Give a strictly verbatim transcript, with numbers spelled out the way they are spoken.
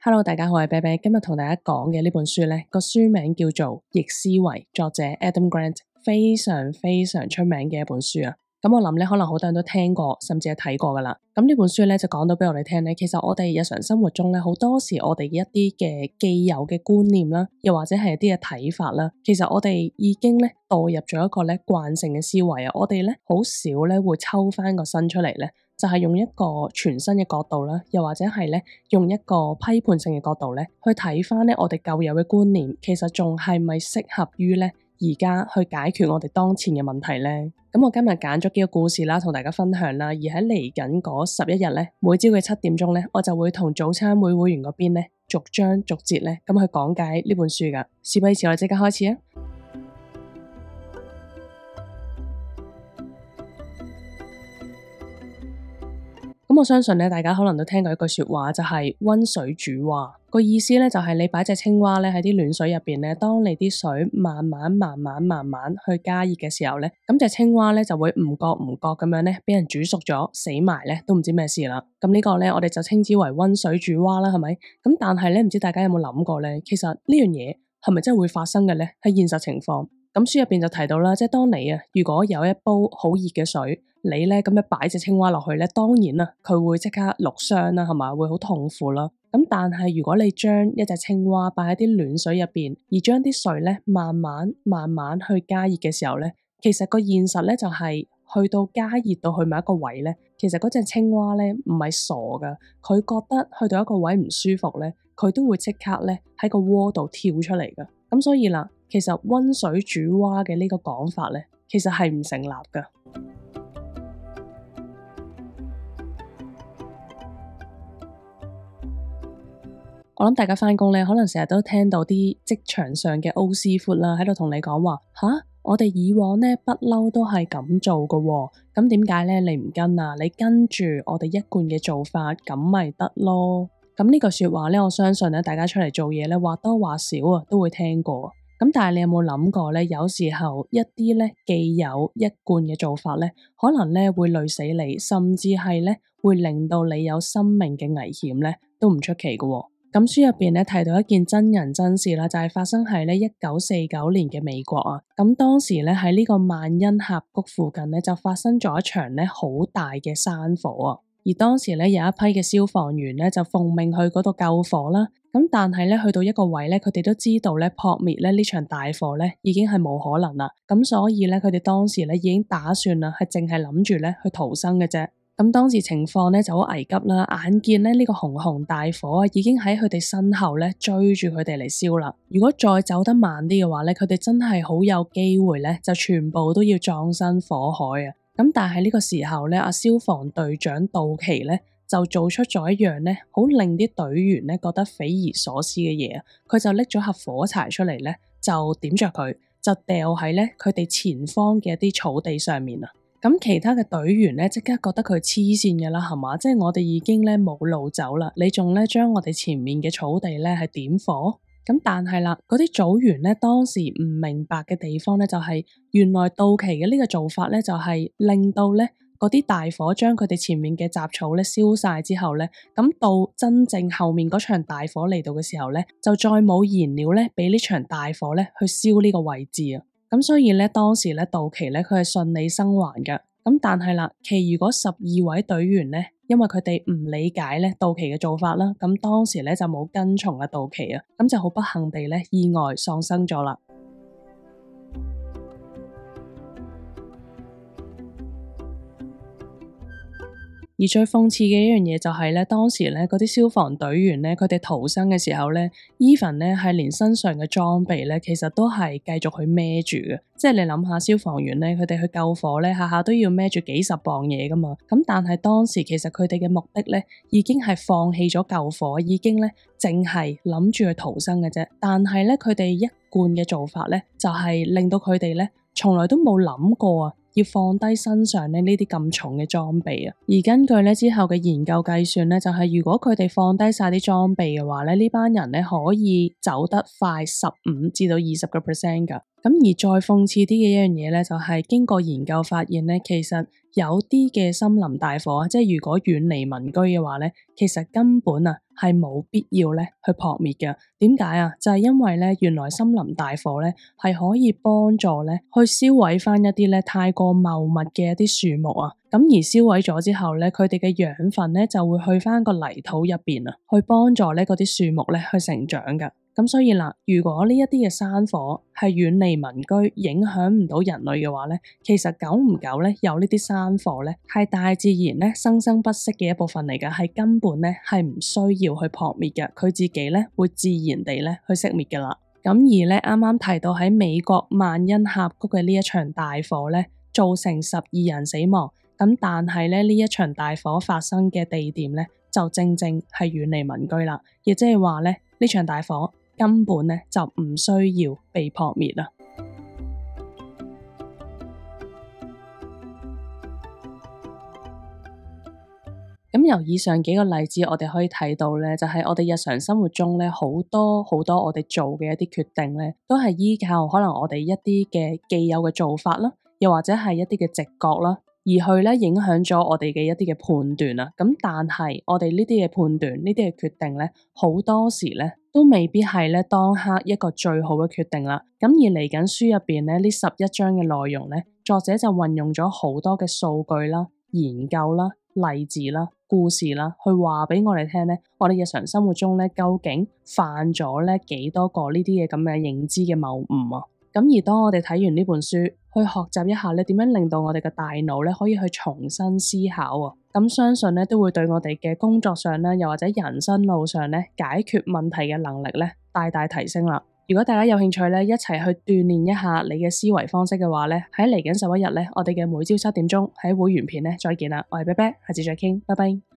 Hello，大家好，我係啤啤，今日同大家講嘅呢本書呢個書名叫做《逆思維》，作者 Adam Grant， 非常非常出名嘅一本書啊。咁我諗咧，可能好多人都聽過，甚至係睇過噶啦。咁呢本書咧就講到俾我哋聽咧，其實我哋日常生活中咧，好多時我哋一啲嘅既有嘅觀念啦，又或者係一啲嘅睇法啦，其實我哋已經咧墮入咗一個咧慣性嘅思維啊。我哋咧好少咧會抽翻個身出嚟咧，就係用一個全新嘅角度啦，又或者係咧用一個批判性嘅角度咧去睇翻咧我哋舊有嘅觀念，其實仲係咪適合於咧而家去解決我哋當前嘅問題呢？咁我今日揀咗幾個故事啦，同大家分享啦。而喺嚟緊嗰十一日咧，每朝嘅七點鐘咧，我就會同早餐會會員嗰邊咧逐章逐節咧咁去講解呢本書噶。事不宜遲，我哋即刻開始啊！咁我相信咧，大家可能都聽過一句說話，就係溫水煮蛙。個意思咧就係你擺隻青蛙咧喺啲暖水入邊咧，當你啲水慢慢慢慢慢慢去加熱嘅時候咧，咁隻青蛙咧就會唔覺唔覺咁樣咧俾人煮熟咗，死埋咧都唔知咩事啦。咁呢個咧我哋就稱之為溫水煮蛙啦，係咪？咁但係咧唔知大家有冇諗過咧，其實呢樣嘢係咪真係會發生嘅咧？喺現實情況。咁書入邊就提到啦，即係當你啊，如果有一煲好熱嘅水，你咧咁樣擺隻青蛙落去咧，當然啦，佢會即刻淥傷啦，係嘛，會好痛苦啦。咁但係如果你將一隻青蛙擺喺啲暖水入邊，而將啲水咧慢慢慢慢去加熱嘅時候咧，其實個現實咧就係去到加熱到去某一個位咧，其實嗰隻青蛙咧唔係傻噶，佢覺得去到一個位唔舒服咧，佢都會即刻咧喺個鍋度跳出嚟噶。咁所以啦，其實溫水煮蛙嘅呢個講法咧，其實係唔成立噶。我諗大家返工咧，可能成日都聽到啲職場上嘅 O 師傅啦，喺度同你講話吓，我哋以往咧不嬲都係咁做噶喎，咁點解咧你唔跟啊？你跟住我哋一貫嘅做法，咁咪得咯。咁呢句說話咧，我相信咧，大家出嚟做嘢咧，或多或少啊，都會聽過。咁但係你有冇諗過咧？有時候一啲咧既有一貫嘅做法咧，可能咧會累死你，甚至係咧會令到你有生命嘅危險咧，都唔出奇嘅喎。咁書入邊咧提到一件真人真事啦，就係發生喺咧一九四九年嘅美國啊。咁當時咧喺呢個萬恩峽谷附近咧就發生咗一場咧好大嘅山火啊。而當時咧有一批嘅消防員咧就奉命去嗰度救火啦。咁但係咧去到一個位咧，佢哋都知道咧撲滅咧呢場大火咧已經係冇可能啦。咁所以咧佢哋當時咧已經打算啦，係淨係諗住咧去逃生嘅啫。咁當時情況咧就好危急啦，眼見咧呢個熊熊大火啊已經喺佢哋身後咧追住佢哋嚟燒啦。如果再走得慢啲嘅話咧，佢哋真係好有機會咧就全部都要葬身火海啊！咁但係呢個時候咧，阿消防隊長杜奇咧就做出咗一樣咧，好令啲隊員咧覺得匪夷所思嘅嘢啊！佢就拎咗盒火柴出嚟咧，就點着佢，就掉喺咧佢哋前方嘅一啲草地上面啊！咁其他嘅隊員咧即刻覺得佢黐線嘅啦，係嘛？即係我哋已經咧冇路走啦，你仲咧將我哋前面嘅草地咧係點火？咁但係啦，嗰啲組員咧當時唔明白嘅地方咧就係原來杜奇嘅呢個做法咧就係令到咧嗰啲大火將佢哋前面嘅雜草咧燒晒之後咧，咁到真正後面嗰場大火嚟到嘅時候咧，就再冇燃料咧俾呢場大火咧去燒呢個位置啊！咁所以咧當時咧杜奇咧佢係順利生還嘅。咁但係啦，其餘嗰十二位隊員咧，因為佢哋唔理解咧杜奇嘅做法啦，咁當時咧就冇跟從阿杜奇啊，咁就好不幸地咧意外喪生咗啦。而最諷刺嘅一樣嘢就係咧，當時咧嗰啲消防隊員咧，佢哋逃生嘅時候咧 even 咧係連身上嘅裝備咧，其實都係繼續去孭住嘅。即係你諗下，消防員咧，佢哋去救火咧，下下都要孭住幾十磅嘢噶嘛。咁但係當時其實佢哋嘅目的咧，已經係放棄咗救火，已經咧淨係諗住去逃生嘅啫。但係咧，佢哋一貫嘅做法咧，就係令到佢哋咧，從來都冇諗過啊，要放低身上咧呢啲咁重嘅裝備啊！而根據咧之後嘅研究計算咧，就係如果佢哋放低晒啲裝備嘅話咧，呢班人咧可以走得快十五至到二十個 percent 噶。咁而再諷刺啲嘅一樣嘢咧，就係經過研究發現咧，其實有啲嘅森林大火啊，即係如果遠離民居嘅話咧，其實根本啊係冇必要咧去撲滅嘅。點解啊？就係因為咧，原來森林大火咧係可以幫助咧去燒毀翻一啲咧太過茂密嘅一啲樹木啊。咁而燒毀咗之後咧，佢哋嘅養分咧就會去翻個泥土入邊啊，去幫助咧嗰啲樹木咧去成長噶。咁所以啦，如果呢一啲嘅山火係遠離民居，影響唔到人類嘅話咧，其實久唔久咧有呢啲山火咧係大自然咧生生不息嘅一部分嚟嘅，係根本咧係唔需要去撲滅嘅，佢自己咧會自然地咧去熄滅噶啦。咁而咧啱啱提到喺美國萬恩峽谷嘅呢一場大火咧，造成十二人死亡。咁但係咧呢一場大火發生嘅地點咧，就正正係遠離民居啦，亦即係話咧呢場大火根本咧就唔需要被撲滅啦。咁由以上幾個例子，我哋可以睇到咧，就係我哋日常生活中咧，好多好多我哋做嘅一啲決定咧，都係依靠可能我哋一啲嘅既有嘅做法啦，又或者係一啲嘅直覺啦，而去咧影響咗我哋嘅一啲嘅判斷啊。咁但係我哋呢啲嘅判斷，呢啲嘅決定咧，好多時咧都未必係咧當刻一個最好嘅決定啦。咁而嚟緊書入邊咧，呢十一章嘅內容咧，作者就運用咗好多嘅數據啦、研究啦、例子啦、故事啦，去話俾我哋聽咧，我哋日常生活中咧究竟犯咗咧幾多個呢啲嘅咁嘅認知嘅謬誤啊。咁而當我哋睇完呢本書，去學習一下咧點樣令到我哋嘅大腦咧可以去重新思考啊，咁相信咧都會對我哋嘅工作上咧，又或者人生路上咧解決問題嘅能力咧大大提升啦。如果大家有興趣咧一齊去鍛煉一下你嘅思維方式嘅話咧，喺嚟緊十一日咧，我哋嘅每朝七點鐘喺會員片咧再見啦。我係啤啤，下次再傾，拜拜。